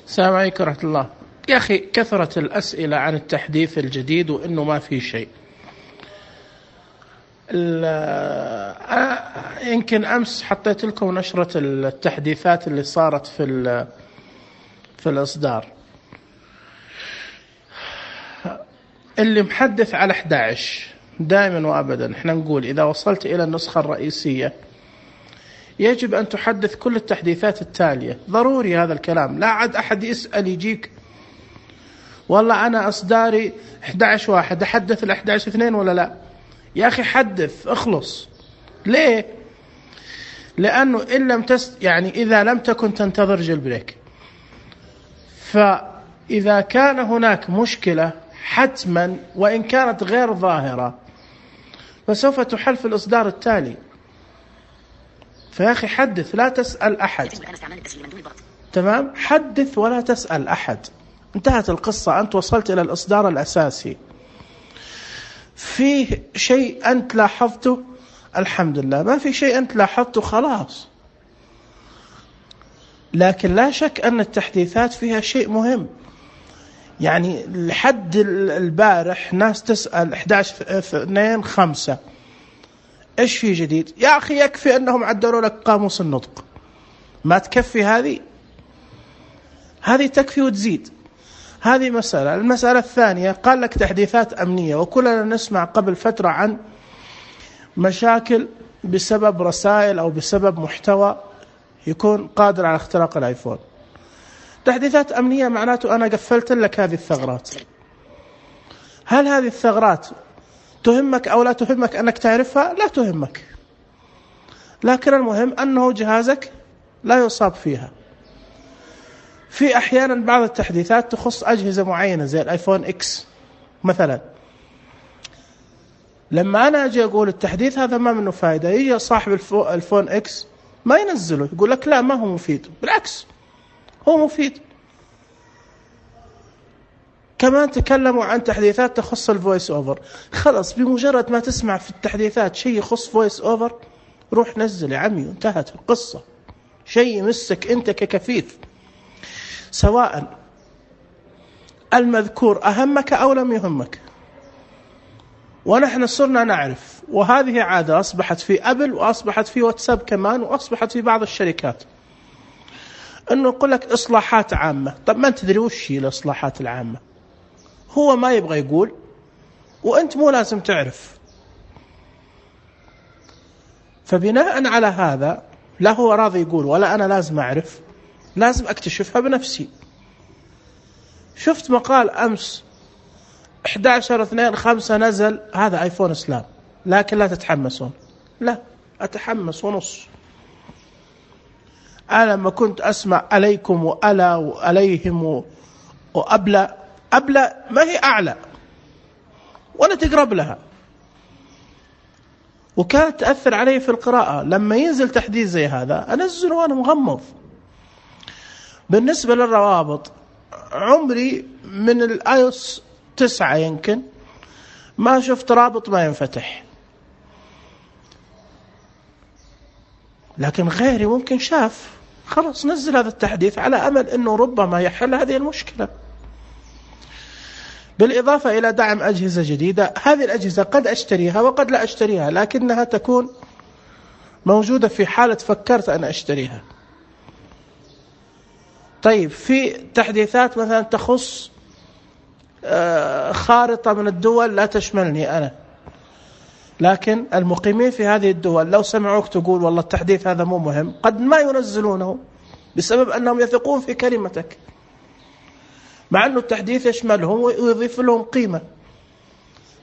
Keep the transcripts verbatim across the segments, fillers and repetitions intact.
السلام عليكم ورحمة الله. يا أخي كثرة الأسئلة عن التحديث الجديد وإنه ما في شيء. يمكن أمس حطيت لكم نشرة التحديثات اللي صارت في في الإصدار اللي محدث على أحد عشر. دائما وأبدا احنا نقول إذا وصلت إلى النسخة الرئيسية يجب أن تحدث كل التحديثات التالية. ضروري هذا الكلام، لا عاد أحد يسأل يجيك والله أنا إصداري أحد عشر واحد أحدث ال أحد عشر اثنين ولا لا. يا أخي حدث اخلص. ليه؟ لأنه إن لم تست يعني إذا لم تكن تنتظر جيل بريك، فإذا كان هناك مشكلة حتما وإن كانت غير ظاهرة فسوف تحل في الإصدار التالي. فيا أخي حدث، لا تسأل أحد. تمام؟ حدث ولا تسأل أحد. انتهت القصة. أنت وصلت إلى الإصدار الأساسي، فيه شيء أنت لاحظته الحمد لله، ما في شيء أنت لاحظته خلاص. لكن لا شك أن التحديثات فيها شيء مهم. يعني لحد البارح ناس تسأل أحد عشر اثنين خمسة إيش في جديد؟ يا أخي يكفي أنهم عدلوا لك قاموس النطق. ما تكفي هذه؟ هذه تكفي وتزيد. هذه مسألة. المسألة الثانية، قال لك تحديثات أمنية، وكلنا نسمع قبل فترة عن مشاكل بسبب رسائل أو بسبب محتوى يكون قادر على اختراق الآيفون. تحديثات أمنية معناته أنا قفلت لك هذه الثغرات. هل هذه الثغرات تهمك أو لا تهمك أنك تعرفها؟ لا تهمك، لكن المهم أنه جهازك لا يصاب فيها. في أحيانا بعض التحديثات تخص أجهزة معينة زي الآيفون إكس مثلا. لما أنا أجي أقول التحديث هذا ما منه فائدة، يجي صاحب الفون إكس ما ينزله، يقول لك لا ما هو مفيد. بالعكس هو مفيد. كمان تكلموا عن تحديثات تخص الفويس أوفر. خلاص بمجرد ما تسمع في التحديثات شيء يخص فويس أوفر روح نزل يا عمي وانتهت القصة. شيء يمسك أنت ككفيف، سواء المذكور أهمك أو لم يهمك. ونحن صرنا نعرف، وهذه عادة أصبحت في أبل وأصبحت في واتساب كمان وأصبحت في بعض الشركات، أنه يقول لك إصلاحات عامة. طب ما تدري وش هي الإصلاحات العامة؟ هو ما يبغى يقول وأنت مو لازم تعرف. فبناء على هذا لا هو راضي يقول ولا أنا لازم أعرف، لازم أكتشفها بنفسي. شفت مقال أمس أحد عشر اثنين خمسة نزل هذا آيفون إسلام، لكن لا تتحمسون. لا أتحمس ونص. أنا لما كنت أسمع عليكم وألا وعليهم وأبلى، أبلى ما هي أعلى ولا تقرب لها، وكانت تأثر علي في القراءة. لما ينزل تحديث زي هذا أنزله وأنا مغمض. بالنسبة للروابط، عمري من الآيوس تسعة يمكن ما شفت رابط ما ينفتح، لكن غيري ممكن شاف. خلاص نزل هذا التحديث على أمل أنه ربما يحل هذه المشكلة. بالإضافة إلى دعم أجهزة جديدة. هذه الأجهزة قد أشتريها وقد لا أشتريها، لكنها تكون موجودة في حالة فكرت أن أشتريها. طيب في تحديثات مثلا تخص خارطة من الدول لا تشملني أنا، لكن المقيمين في هذه الدول لو سمعوك تقول والله التحديث هذا مو مهم قد ما ينزلونه بسبب أنهم يثقون في كلمتك، مع أنه التحديث يشملهم ويضيف لهم قيمة،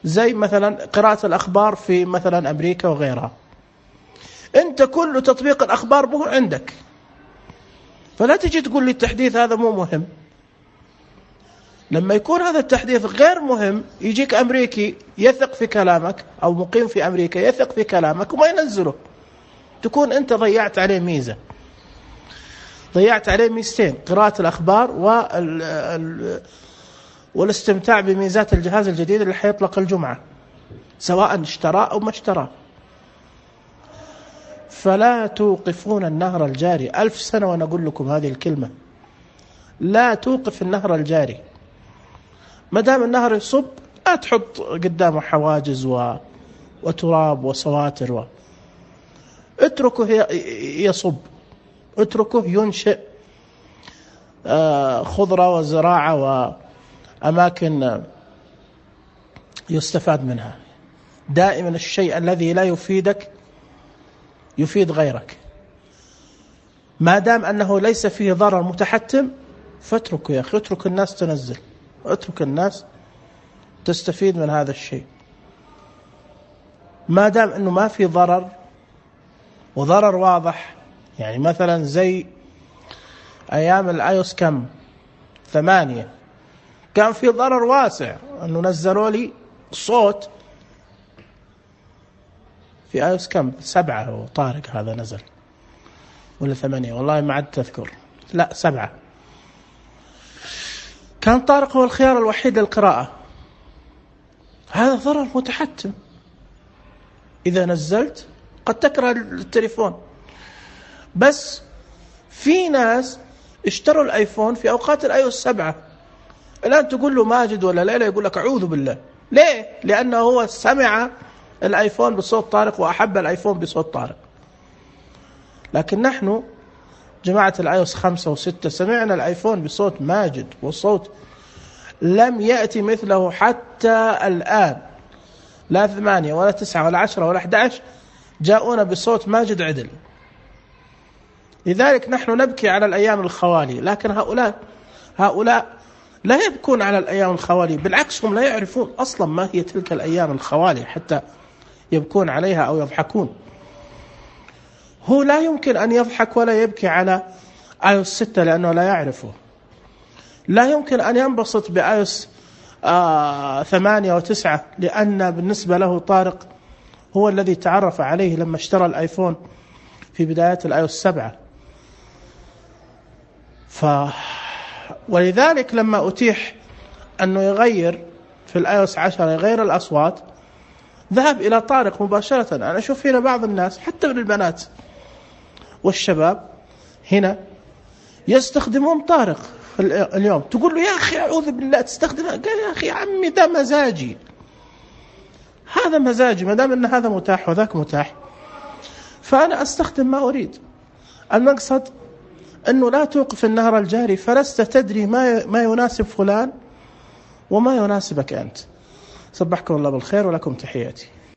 زي مثلا قراءة الأخبار في مثلا أمريكا وغيرها. أنت كل تطبيق الأخبار مو عندك، فلا تجي تقول لي التحديث هذا مو مهم. لما يكون هذا التحديث غير مهم يجيك أمريكي يثق في كلامك أو مقيم في أمريكا يثق في كلامك وما ينزله، تكون أنت ضيعت عليه ميزة، ضيعت عليه ميزتين: قراءة الأخبار وال... والاستمتاع بميزات الجهاز الجديد اللي حيطلق الجمعة، سواء اشتراه أو ما اشتراه. فلا توقفون النهر الجاري. ألف سنة وأنا أقول لكم هذه الكلمة. لا توقف النهر الجاري. ما دام النهر يصب لا تحط قدامه حواجز و... وتراب وصواتر و... اتركه يصب، اتركه ينشئ خضرة وزراعة وأماكن يستفاد منها. دائما الشيء الذي لا يفيدك يفيد غيرك. ما دام أنه ليس فيه ضرر متحتم فاتركه يا أخي، اترك الناس تنزل، اترك الناس تستفيد من هذا الشيء. ما دام أنه ما في ضرر وضرر واضح، يعني مثلا زي أيام الآيوس كم ثمانية كان في ضرر واسع أنه نزلوا لي صوت في آيوس كم سبعة، هو طارق هذا نزل ولا ثمانية والله ما عاد تذكر، لا سبعة. كان طارق هو الخيار الوحيد للقراءة. هذا ضرر متحتم. إذا نزلت قد تكره التليفون، بس في ناس اشتروا الآيفون في أوقات الآيوس سبعة. الآن تقول له ماجد ولا ليلى يقول لك أعوذ بالله. ليه؟ لأنه هو سمع الآيفون بصوت طارق وأحب الآيفون بصوت طارق. لكن نحن جماعة الآيوس خمسة وستة سمعنا الآيفون بصوت ماجد، وصوت لم يأتي مثله حتى الآن. لا ثمانية ولا تسعة ولا عشرة ولا أحد عشر جاءونا بصوت ماجد عدل. لذلك نحن نبكي على الأيام الخوالي، لكن هؤلاء هؤلاء لا يبكون على الأيام الخوالي، بالعكس هم لا يعرفون أصلا ما هي تلك الأيام الخوالي حتى يبكون عليها أو يضحكون. هو لا يمكن أن يضحك ولا يبكي على آيوس ستة لأنه لا يعرفه. لا يمكن أن ينبسط بآيوس آه ثمانية وتسعة لأن بالنسبة له طارق هو الذي تعرف عليه لما اشترى الآيفون في بدايات الآيوس سبعة. ف ولذلك لما أتيح أنه يغير في الآيوس عشرة يغير الأصوات ذهب إلى طارق مباشرة. أنا أشوف هنا بعض الناس حتى من البنات والشباب هنا يستخدمون طارق اليوم. تقول له يا أخي أعوذ بالله تستخدمها، قال يا أخي عمي ده مزاجي، هذا مزاجي، ما دام أن هذا متاح وذاك متاح فأنا أستخدم ما أريد. المقصد أنه لا توقف النهر الجاري، فلست تدري ما ما يناسب فلان وما يناسبك أنت. صبحكم الله بالخير ولكم تحياتي.